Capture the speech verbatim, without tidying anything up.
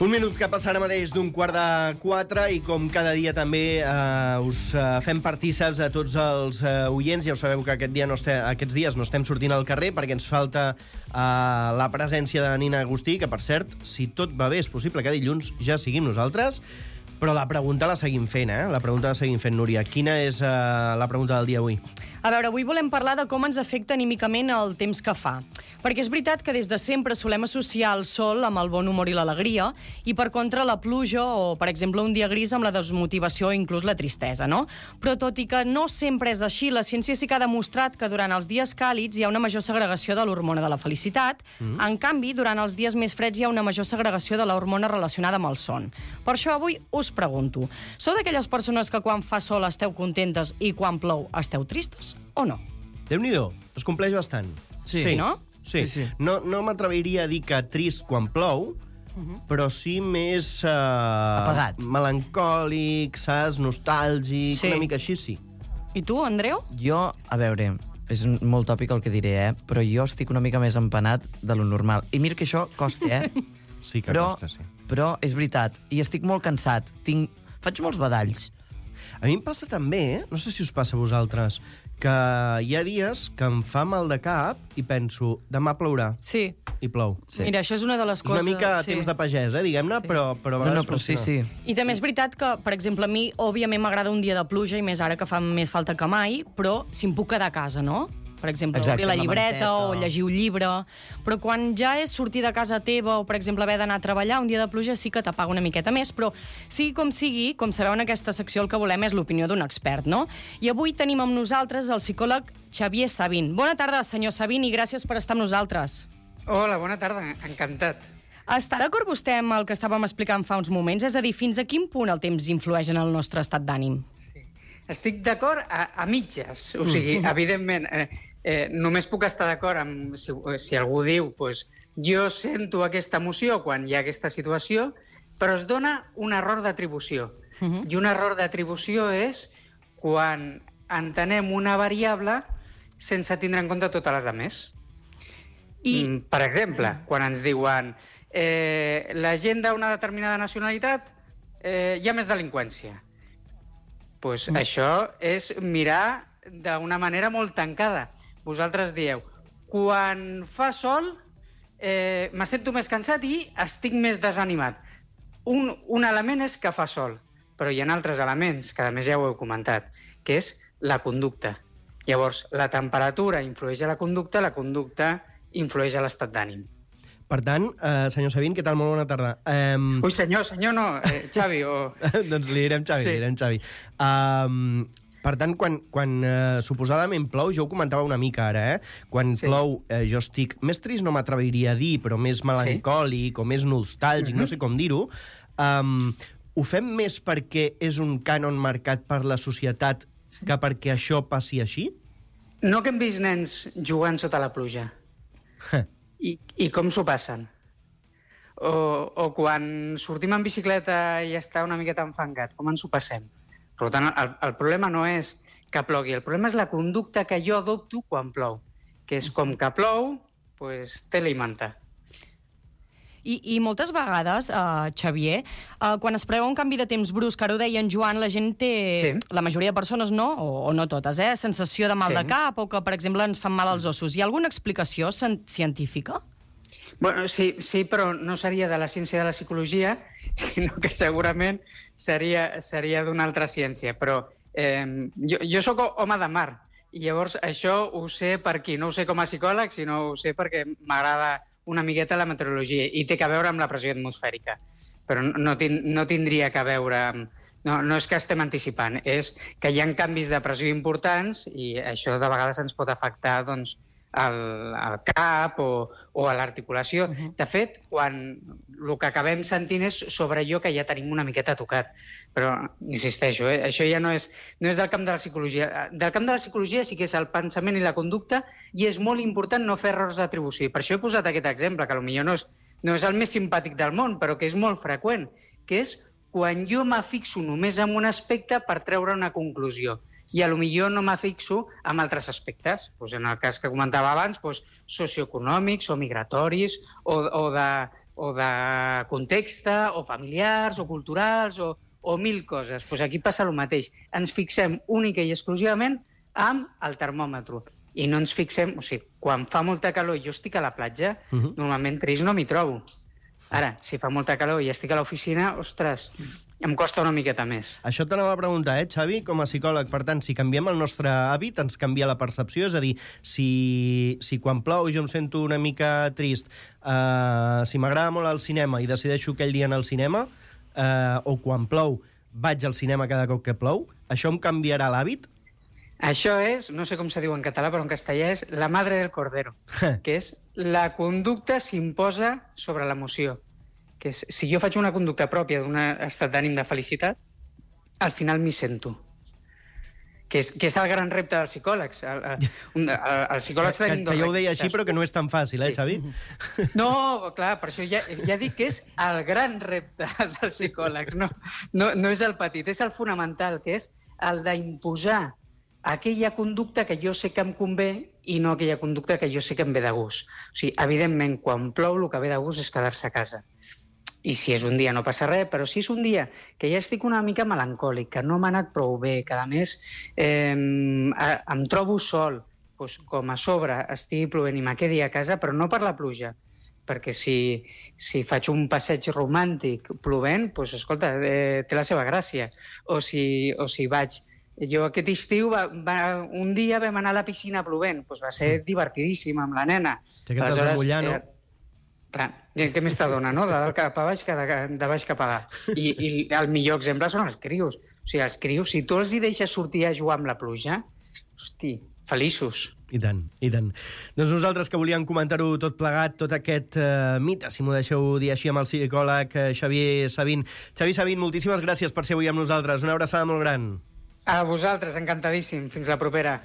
Un minut que passa ara mateix d'un quart de quatre i com cada dia també eh, us eh, fem partíceps a tots els eh, oients. Ja ho sabeu que aquest dia no este, aquests dies no estem sortint al carrer perquè ens falta eh, la presència de Nina Agustí, que per cert, si tot va bé, és possible que dilluns ja siguin nosaltres. Però la pregunta la seguim fent, eh? La pregunta la seguim fent, Núria. Quina és eh, la pregunta del dia avui? A veure, avui volem parlar de com ens afecta anímicament el temps que fa. Perquè és veritat que des de sempre solem associar el sol amb el bon humor i l'alegria i, per contra, la pluja o, per exemple, un dia gris amb la desmotivació o inclús la tristesa, no? Però tot i que no sempre és així, la ciència sí que ha demostrat que durant els dies càlids hi ha una major segregació de l'hormona de la felicitat. Mm. En canvi, durant els dies més freds hi ha una major segregació de l'hormona relacionada amb el son. Per això avui us pregunto, sou d'aquelles persones que quan fa sol esteu contentes i quan plou esteu tristes o no? Déu-n'hi-do, es compleix bastant. Sí, sí no? Sí, sí, sí. No, no m'atreviria a dir que trist quan plou, uh-huh. però sí més... Uh, apagat. Melancòlic, saps? Nostàlgic, sí. Una mica així, sí. I tu, Andreu? Jo, a veure, és molt tòpic el que diré, eh? Però jo estic una mica més empanat de lo normal. I mira que això costa, eh? Sí que però, costa, sí. Però és veritat, i estic molt cansat. Tinc... Faig molts badalls. A mi em passa també, eh? No sé si us passa a vosaltres, que hi ha dies que em fa mal de cap i penso, demà plourà. Sí. I plou. Sí. Mira, això és una de les coses... És una mica sí. temps de pagès, eh, diguem-ne, sí. però, però a vegades no, no, però sí, sí. I també és veritat que, per exemple, a mi, òbviament, m'agrada un dia de pluja, i més ara que fa més falta que mai, però si em puc quedar a casa, no? Per exemple, exacte, obrir la llibreta la o llegir un llibre. Però quan ja és sortir de casa teva o, per exemple, haver d'anar a treballar, un dia de pluja sí que t'apaga una miqueta més, però sigui com sigui, com sabeu, en aquesta secció el que volem és l'opinió d'un expert, no? I avui tenim amb nosaltres el psicòleg Xavier Sabin. Bona tarda, senyor Sabin, i gràcies per estar amb nosaltres. Hola, bona tarda, encantat. Està d'acord vostè amb el que estàvem explicant fa uns moments? És a dir, fins a quin punt el temps influeix en el nostre estat d'ànim? Sí. Estic d'acord a, a mitges, o sigui, mm. evidentment, eh, eh, només puc estar d'acord amb si, si algú diu pues, jo sento aquesta emoció quan hi ha aquesta situació, però es dona un error d'atribució. Mm-hmm. I un error d'atribució és quan entenem una variable sense tindre en compte totes les altres. I, per exemple, quan ens diuen eh, la gent d'una determinada nacionalitat eh, hi ha més delinqüència, pues mm. això és mirar d'una manera molt tancada. Vosaltres dieu, quan fa sol eh, me sento més cansat i estic més desanimat. Un, un element és que fa sol, però hi ha altres elements, que a més ja ho heu comentat, que és la conducta. Llavors, la temperatura influeix a la conducta, la conducta influeix a l'estat d'ànim. Per tant, eh, senyor Sabin, què tal? Molt bona tarda. Um... Ui, senyor, senyor no, eh, Xavi o... doncs li direm Xavi, sí. li direm Xavi. Um, per tant, quan, quan uh, suposadament plou, jo ho comentava una mica ara, eh? Quan sí. plou, eh, jo estic més trist, no m'atreviria a dir, però més melancòlic sí. o més nostàlgic, uh-huh. no sé com dir-ho. Um, ho fem més perquè és un cànon marcat per la societat que perquè això passi així? No que hem vist nens jugant sota la pluja. I, i com s'ho passen? O, o quan sortim en bicicleta i està una miqueta enfangat, com ens ho passem? Per tant, el, el problema no és que plogui, el problema és la conducta que jo adopto quan plou, que és com que plou, pues, tela i manta. I, i moltes vegades, uh, Xavier, uh, quan es preveu un canvi de temps brusc, ara ho deia en Joan, la gent té, sí. la majoria de persones no, o, o no totes, eh, sensació de mal sí. de cap, o que, per exemple, ens fan mal als ossos. Hi ha alguna explicació científica? Bueno, sí, sí, però no seria de la ciència de la psicologia, sinó que segurament seria, seria d'una altra ciència. Però eh, jo, jo sóc home de mar, i llavors això ho sé per aquí. No ho sé com a psicòleg, sinó ho sé perquè m'agrada una miqueta la meteorologia, i té que veure amb la pressió atmosfèrica. Però no, no, tind, no tindria que veure amb... No, no és que estem anticipant, és que hi ha canvis de pressió importants i això de vegades ens pot afectar doncs, al, al cap o, o a l'articulació. Uh-huh. De fet, quan el que acabem sentint és sobre allò que ja tenim una miqueta tocat. Però, insisteixo, eh, això ja no és, no és del camp de la psicologia. Del camp de la psicologia sí que és el pensament i la conducta, i és molt important no fer errors d'atribució. Per això he posat aquest exemple, que potser no és, no és el més simpàtic del món, però que és molt freqüent, que és quan jo m'afixo només en un aspecte per treure una conclusió. I a lo millor no m'afixo en altres aspectes. Pues en el cas que comentava abans, pues, socioeconòmics o migratoris o, o, de, o de context, o familiars, o culturals, o, o mil coses. Pues aquí passa el mateix. Ens fixem única i exclusivament amb el termòmetre. I no ens fixem... O sigui, quan fa molta calor i jo estic a la platja, uh-huh. normalment trist no m'hi trobo. Ara, si fa molta calor i estic a l'oficina, ostres, em costa una miqueta més. Això t'anava a preguntar, eh, Xavi, com a psicòleg. Per tant, si canviem el nostre hàbit, ens canvia la percepció. És a dir, si, si quan plou jo em sento una mica trist, eh, si m'agrada molt el cinema i decideixo aquell dia anar al cinema, eh, o quan plou vaig al cinema cada cop que plou, això em canviarà l'hàbit? Això és, no sé com se diu en català, però en castellà és la madre del cordero, que és la conducta s'imposa sobre l'emoció. Que és, si jo faig una conducta pròpia d'un estat d'ànim de felicitat, al final m'hi sento. Que és, que és el gran repte dels psicòlegs. El, el, el, els psicòlegs que, tenim que dos jo ho deia així, però que no és tan fàcil, eh, sí. Xavi? No, clar, per això ja, ja dic que és el gran repte dels psicòlegs. No, no, no és el petit, és el fonamental, que és el d'imposar aquella conducta que jo sé que em convé i no aquella conducta que jo sé que em ve de gust. O sigui, evidentment, quan plou, el que ve de gust és quedar-se a casa. I si és un dia no passa res, però si és un dia que ja estic una mica melancòlic, que no m'ha anat prou bé, que a més eh, em trobo sol, doncs com a sobre estigui plovent i me quedi a casa, però no per la pluja, perquè si, si faig un passeig romàntic plovent, doncs, escolta, eh, té la seva gràcia. O si, o si vaig... Jo aquest estiu, va, va, un dia vam anar a la piscina plovent, doncs va ser divertidíssim amb la nena. Sí que t'has de mullar, no? Eh, clar, què més t'adona, no? De dalt cap a baix, que de, de baix cap a dalt. I, I el millor exemple són els crios. O sigui, els crios, si tu els hi deixes sortir a jugar amb la pluja, hosti, feliços. I tant, i tant. Doncs nosaltres que volíem comentar-ho tot plegat, tot aquest uh, mite, si m'ho deixeu dir així, amb el psicòleg uh, Xavier Sabin. Xavi Sabin, moltíssimes gràcies per ser avui amb nosaltres. Una abraçada molt gran. A vosaltres, encantadíssim. Fins la propera.